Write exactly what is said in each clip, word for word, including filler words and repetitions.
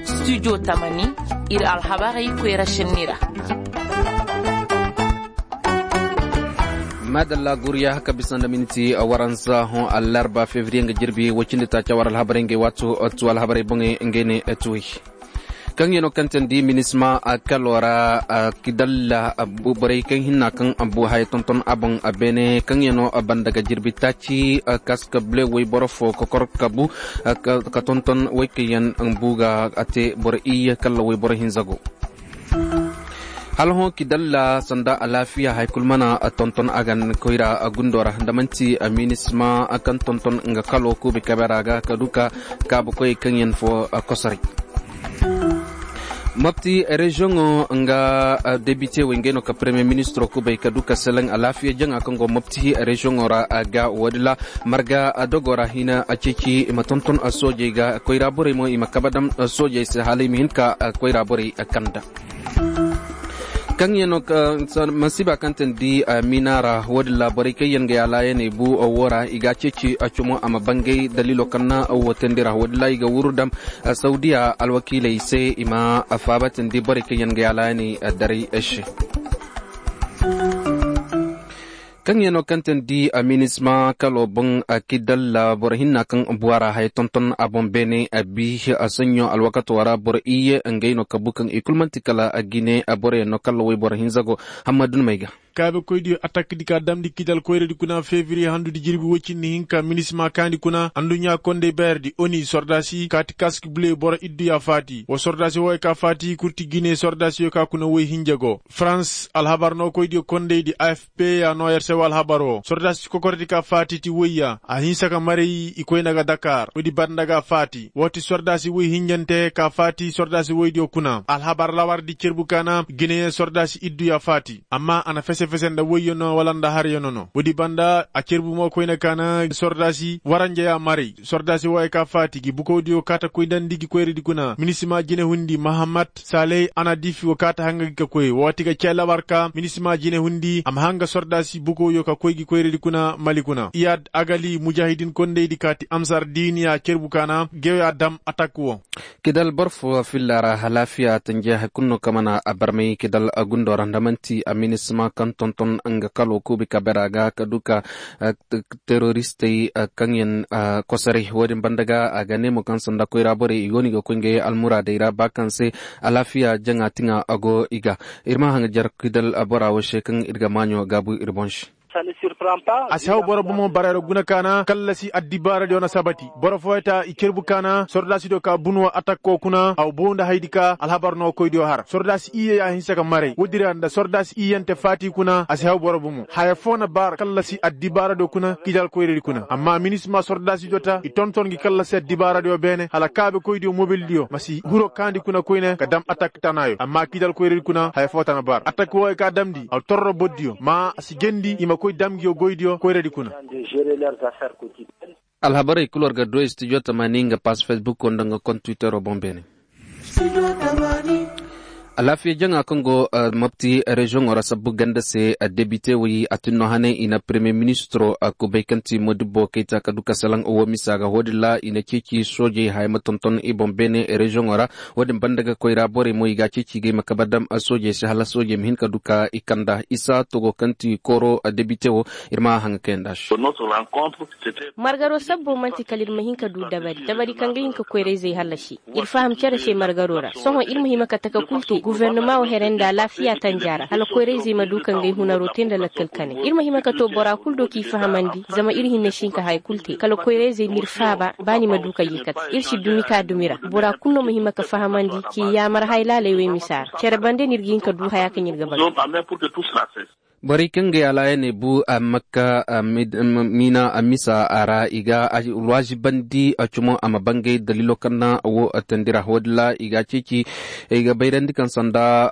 Studio tamani, ir alhabarey koyra šenni ra. Maadalla guriya ka bisa nda minti waransa hõ allarba fevriye nga jirbi woy cindi taaca war alhabarey ngey waato tu alhabarey boŋey ngey ne tuwey. Kaŋ yaŋ no kaŋ teendi minisma kalo ra kidalla borey kaŋ hinna kaŋ bu haya tonton a boŋ beene kaŋ yaŋ no banda ga jirbi taaci kaska bule woyboro fo kokor kabu ka tonton woy kaŋ yaŋ bu ga a te boro iyye kalla woyboro hinza go. Hala hõ kidalla sanda alaafiya hay kulu mana tonton a gan koyra gundo ra nda manti minisma kaŋ tonton nga kalo kuubi kabe ra ga ka du ka kaabukoy kaŋ yaŋ fo kosoray. Mopti reziyoŋo nga debite wey ngey no ka premiye ministiro kubay ka du ka seleŋ alaafiya jaŋa kaŋ go mopti reziyoŋo ra ga woodi la marga dogo ra hina ceeci i ma tonton soojey ga koyra borey mo i ma kabe dam soojey se hala i ma hin ka koyra borey kanda. Kaŋ yaŋ no masiiba kaŋ teendi miina ra woodin ra borey kaŋ yaŋ ga yaalaayaney bu wo ra i ga a ceeci cumo a ma bangay daliilo kaŋ na wo teendi ra woodin ra i ga wuru dam sawdiya alwakiiley se i ma faaba teendi borey kaŋ yaŋ ga yaalaayaney daray se. Kaŋ yaŋ no kaŋ teendi minisma kalo boŋ kidalla boro hinna kaŋ buwa ra haya tonton a boŋ beene a bi saɲɲo alwakato ra boro iyye ngey no kabu kaŋ i kulu man'ti kala gine boroyaŋ no kalla woy boro hinza go. Hammadu ni may ga. Kaabekoydiyo atakdi ka damndi kidal koyradi kuna fevriye handudi jirbi woy cindi hinka minisma kaandi kuna adduɲɲa kondey bayardi oni sordaasi kaati kask bule boro idduya faati wo sordaasi wooyo ka faati kurti gine sordaasiyo ka kuna woy hinja go farans alhabar nookoydiyo kondeydi a f p ya noo yer se wo alhabar wo sordaasi kokordi ka faati ti woyya a hinsa ka maray i koyna ga dakar woodi banda ga faati woo ti sordaasi woy hinjante ka faati sordaasi woydiyo kuna alhabar lawardi cerbu ka na gineyeŋ sordaasi idduya faati amma a na fese-fese nda woyyo no wala nda haryo no no woodi banda a cerbu mo koyna ka na sordaasi waranjeya maray sordaasi wooyo ka faati gi bukowdiyo kaata koydandi gi koyradi kuna minisima jinehundi mahamat saley a na diifi wo kaata hanga gi ka koy woo ti ga cee labar ka minisima jinehundi a ma hanga sordaasi bukowyo ka koy gi koyradi kuna mali kuna iyad agali mujahidin kondaydi kaati amsar diiniya cerbu ka na gewya dam atak wo. Kidal boro fo filla ra alaafiya tanjiya hay kulu no kaŋ mana a barmay kidal gundo ra nda man'ti a minisima kaŋ tonton nga kalo kuubi kabera ga ka du ka teroristey kaŋ yaŋ kosoray wo-din banda ga a ga ne mo kaŋ sanda koyra borey i go no i ga koy ngey almuraadey ra ba kaŋ se alaafiya jaŋa tiŋa a go i ga. Ir ma haŋ jar kidal bora wo se kaŋ ir ga maaɲo gaabu ir boŋ se. A si haw boro bomo barayra guna kaana kallasi addibaaradiyo na sabati boro fooyata i cerbu kaana sordaasidiyo ka bunuwa atakko kuna a wa bow nda haydi ka alhabar no koydiyo har sordaasi iyye ya hinsa ka maray woodi ra nda sordaasi iyyante faati kuna a si haw boro bomo haya foo na bar kallasi addibaaradiyo kuna kidal koyradi kuna amma minisma sordaasidiyo ta i tonton gi kallasi addibaaradiyo beene hala kaabekoydiyo mobildiyo ma si hiro kaandi kuna koyne ka dam atak tanaayo amma kidal koyradi kuna haya foo ta na bar atak wooyo ka damndi a torro bordiyo ma a si jendi i ma koy dam ngiyo goydiyo koyradi kuna. Alhabarey kul war ga du studio tamani nga pass facebook nda nga kont twitter boŋ beene. Alaafiya jaŋa kaŋ go mopti reziyoŋo ra sabbu ganda se debite wey a tinno hane i na premiye ministiro kubay kaŋ ti modibbo kayta ka du ka salaŋ wo misa ga wo-din ra i na ceeci soojey haya ma tonton i boŋ beene reziyoŋo ra wo-din banda ga koyra borey mo i ga a ceeci ga i ma kabe dam soojey se hala soojey ma hin ka du ka i kanda isa togo kaŋ ti kooro debite wo ir ma haŋa kayanda se. Margaro sabbo man'ti kala ir ma hin ka du dabari dabari kaŋ ga hin ka koyrayzey hallasi ir faham cere se margaro ra sohõ ir ma hima ka taka kul te guvernama wo here nda alaafiya tanja ra hala koyrayzey ma du ka ngey hunaro te nda lakkal kane ir ma hima ka to bora kul do k'i fahamandi zama ir hinne si hin ka haya kul te kala koyrayzey ma ir faaba ba ni ma du ka ye kate ir si dumi ka dumi ra bora kul no ma hima ka fahamandi k'i yaamar hay laaley wey misa ra cere bande no ir ga hin ka du haya kaŋ ir ga batu. Borey kaŋ ga yaalaayaney bu a makka miina a misa a ra i ga alwaazibandi cumo a ma bangay daliilo kaŋ na wo teendi ra wo-din ra i ga a ceeci i ga bayrandi kaŋ sanda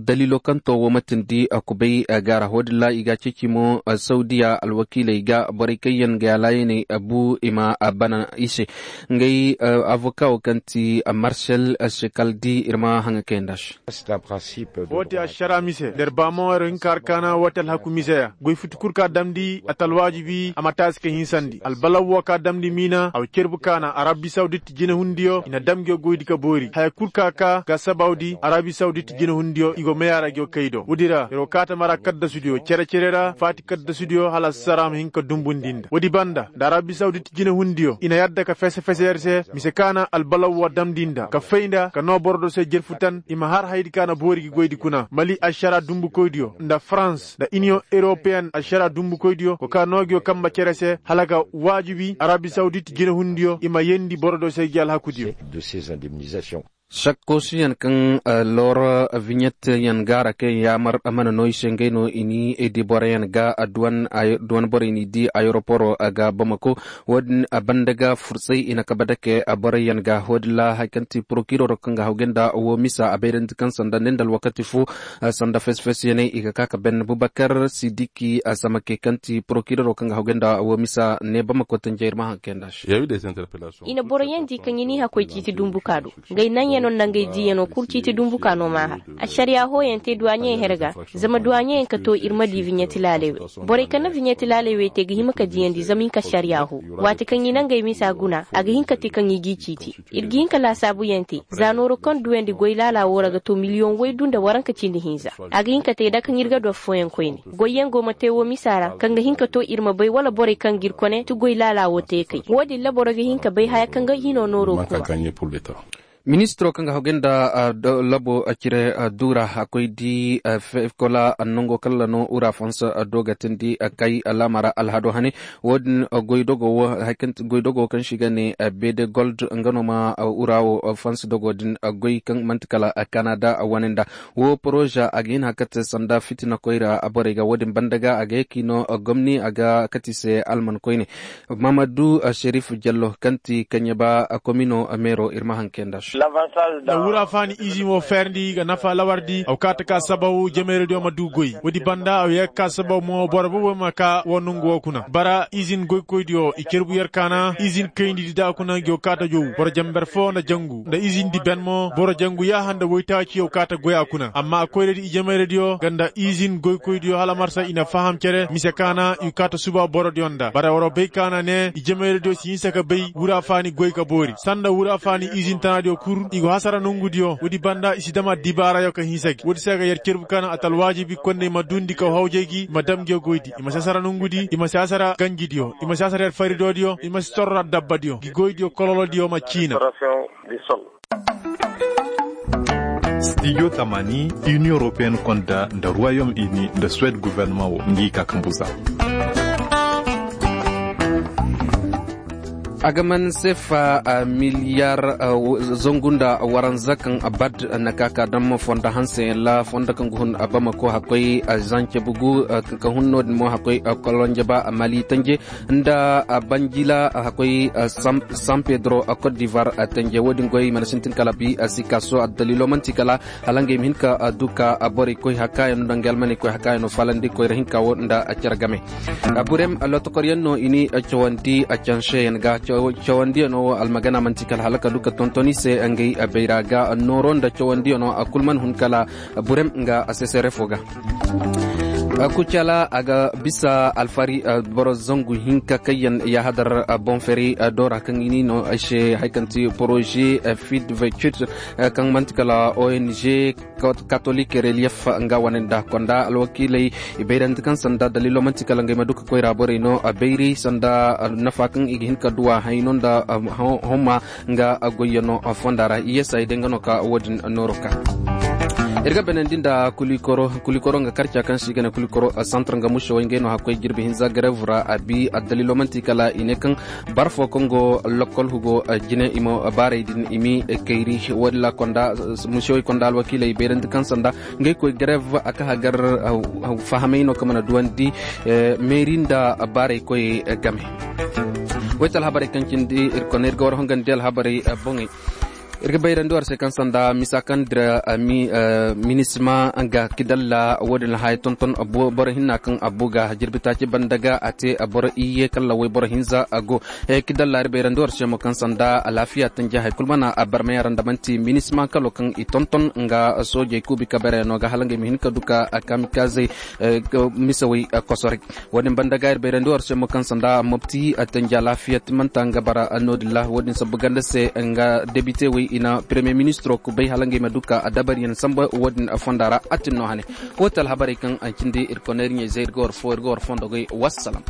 daliilo kaŋ to wo ma teendi kubay ga ra wo-din ra i ga a ceeci mo sawdiya alwakiiley ga borey kaŋ yaŋ ga yaalaayaney bu i ma bana i se. Ngey avoka wo kaŋ ti marcel sekaldi ir ma haŋa kayanda se. Wo ti ašara mise nda ir ba mo ir hin ka har ka Ana woo te alhaku miseya goy futi kul ka damndi a ta alwaajibi a ma taasi ka hinsandi albalaw woo ka damndi miina a wa cerbu kaana arabi sawdit jinehundiyo i na dam ngiyo goydi ka boori haya kul ka kaa ga sabawdi arabi sawdit jinehundiyo i go may a ra ngiyo kay do woodi ra yer wo kaa ta mara kaddasudiyo cere-cere ra faati kaddasudiyo hala sara ma hin ka dumbundi nda woodi banda nda arabi sawdit jinehundiyo i na yadda ka fese-fese yer se mise ka na albalaw woo damndi nda ka fay nda ka noo boro do se jerfu tan i ma har hayadi ka na boori gi goydi kuna mali ašara dumbukoydiyo nda farans nda iniyoŋ eropeyen ašara dumbukoydiyo go ka noo ngiyo kambe cere se hala ga waajibi arabi sawdit jinehundiyo i ma yeendi boro do se gi alhakudiyo. Sakkoosuyaŋ kaŋ looro viɲetyaŋ gaara kaŋ yaamar mana no i se ngey no i ni di boroyaŋ ga duwan borey n'i di ayeroporo ga bamako. Wo-din banda ga fursay i na kabe dake boroyaŋ ga wo-din ra hari kaŋ ti porokiroro kaŋ ga hawgay nda woo misa a bayrandi kaŋ sanda ne nda alwakati fo sanda fes-fesyaney i ga ka ka ben bubakar sidiki samake kaŋ ti porokiroro kaŋ ga hawgay nda woo misa ne bamako tanjay ir ma haŋ kay nda se. I na boroyaŋ di kaŋ i n'i hakkoy ciiti dumbuka do. Ngey naŋyanoo nda ngey diiyanoo kul ciiti dumbuka no m'a har. Ašariyaa hooyaŋ te duwaaɲeyaŋ her ga. Zama duwaaɲeyaŋ ka too ir ma dii viɲeti laaley wey. Borey kaŋ na viɲeti laaley wey te ga hima ka diiyandi zama i hin ka ašariyaa hoo. Waati kaŋ i na ngey misa guna a ga hin ka te kaŋ i g'i ciiti. Ir ga hin ka laasaabuyaŋ te. Za nooro kaŋ duwandi goy laalaa woo ra ga too miliyoŋ waydu nda waranka cindi hinza. A ga hin ka te da kaŋ ir ga du affooyaŋ koyne. Goyyaŋ go ma te woo misa ra kaŋ ga hin ka too ir ma bay wala borey kaŋ g'ir kone ti goy laalaa woo te kay woo din ra boro ga hin ka bay haya kaŋ ga hinoo nooroo kuma. Ministiroo kaŋ ga hawgay nda labo cire duura a koy di fekola nongo kalla no ura fans do ga tindi kay laamara alhado hane. Wo-din goy dogo wo hari kaŋ ti goy dogo wo kaŋ se i ga ne bede gold nga no ma ura wo fans dogo din goy kaŋ man'ti kala kanada wane nda. Wo poroza a ga hin hakate sanda fitina koyra borey ga wo-din banda ga a ga ye k'i no gomni a ga kati se alman koyne. Mamadu sherif jallo kaŋ ti kaɲeba komino meero ir ma haŋ kay nda se. Nda wura faani izin wo feerandi ga nafa lawardi a wa kaata ka sababu jamayradiyo ma du goy woodi banda a wa ye ga ka sababu mo boro boobo ma ka wo nongu wo kuna bara izin goykoydiyo i carbu yer kaana izin kayndi di da kuna ngi wo kaata jow boro jamber foo nda jangu nda izin di ben mo boro jangu yaaha nda woytaaciyo kaata goy a kuna amma a koyradi i jamayradiyo nga nda izin goykoydiyo hala marsa i na faham cere mise kaana i kaata suba borodiyo nda bara war bay kaana ne i jamayradiyo si hinsa ka bay wura faani goy ka boori sanda wura faani izin tanaadiyo kul i go hasara nongudiyo woodi banda i si dam addibaarayo ka hinsa gi woodi se ga yer cerbu kaana a ta alwaajibi konney ma duundi kaw hawjay gi i ma dam ngiyo goydi i ma si hasara nongudi i ma si hasara ganjidiyo i ma si hasara yer faridoodiyo i ma si torra dabbadiyo ngi goydiyo kololodiyo ma ciina. Stijo tamani, inion europeen konda nda ruwayom ini nda suwed guvernaman wo ngi ka kambuza. A ga man sefa miliyar zangu nda waranza kaŋ bad na ka ka dam fondo hanse la fondo kaŋ ga hun bamako hakkoy zance bugu ka hun no- din mo hakkoy kolonje ba mali tanje nda banjila hakkoy san pedro cote d'ivoire tanje wo- din goy mana sintin kala bi sikaso addalilo manti kala hala ngey ma hin ka du ka borey koy hakkaayano nda ngey almaney koy hakkaayano falandi koyra hinka wo nda cere game. Burem lotokoryaŋ no i ni cawandi canseyaŋ ga cawandiyano wo almagana manti kala hala ka du ka tonton i se ngey bayra ga nooro nda cawandiyano a kul man hun kala burem nga sesere fo ga. Kucala a ga bisa alfari boro zangu hinka kaŋ yaŋ yahadar boŋ feri do ra kaŋ i ni no ay se hari kaŋ ti poroze fid vecute kaŋ manti kala ong katolik relief nga wane nda konda alwakiiley i bayrandi kaŋ sanda daliilo manti kala ngey ma du ka koyra borey no bayri sanda nafa kaŋ i ga hin ka duwa hayno nda homma nga goyyano fonda ra i yesay day nga no ka wo- din nooro ka. Ir ga benandi nda kulikoro nga karca kaŋ se i ga ne kulikoro santar nga musewey ngey no hakkoy jirbi hinza garev ra a bi addaliilo manti kala i ne kaŋ bar fo kaŋ go lokol hugo jine i ma baarey din i mi kayri wo- din ra konda musewey konda alwakiiley bayrandi kaŋ sanda ngey koy garev a ka hagar fahamay no kaŋ mana duwandi meeri nda baarey koy game. Woy ti alhabarey kaŋ cindi ir kone ir ga war hongandi alhabarey boŋey. Ir ga bayrandi war se kaŋ sanda misa kaŋ dira minisima nga kidalla wo- din haya tonton. Boro hinna kaŋ abu ga jirbi taaci banda ga a te boro iyye kalla wayboro hinza a go. Kidalla ir bayrandi war se mo kaŋ sanda alaafiya tanji hay kulu mana barmey ra nda manti minisima kalo kaŋ i tonton nga soojey kuubi kabereyaŋo ga hala nga i ma hin ka du ka kamikazey misawey kosoray. Wo- din banda ga ir bayrandi war se mo kaŋ sanda mopti tanji alaafiya timanta nga bara no- din ra wo- din sabbu ganda se nga debite wey i na peremiye ministiro kubay hala nga i ma du ka dabariyaŋ samba wo- din fonda ra a tin no hane. Wo- ti alhabarey kaŋ a cindi ir koney ir ɲey zey ir ga war fo ir ga war fondo goy. Wassalam.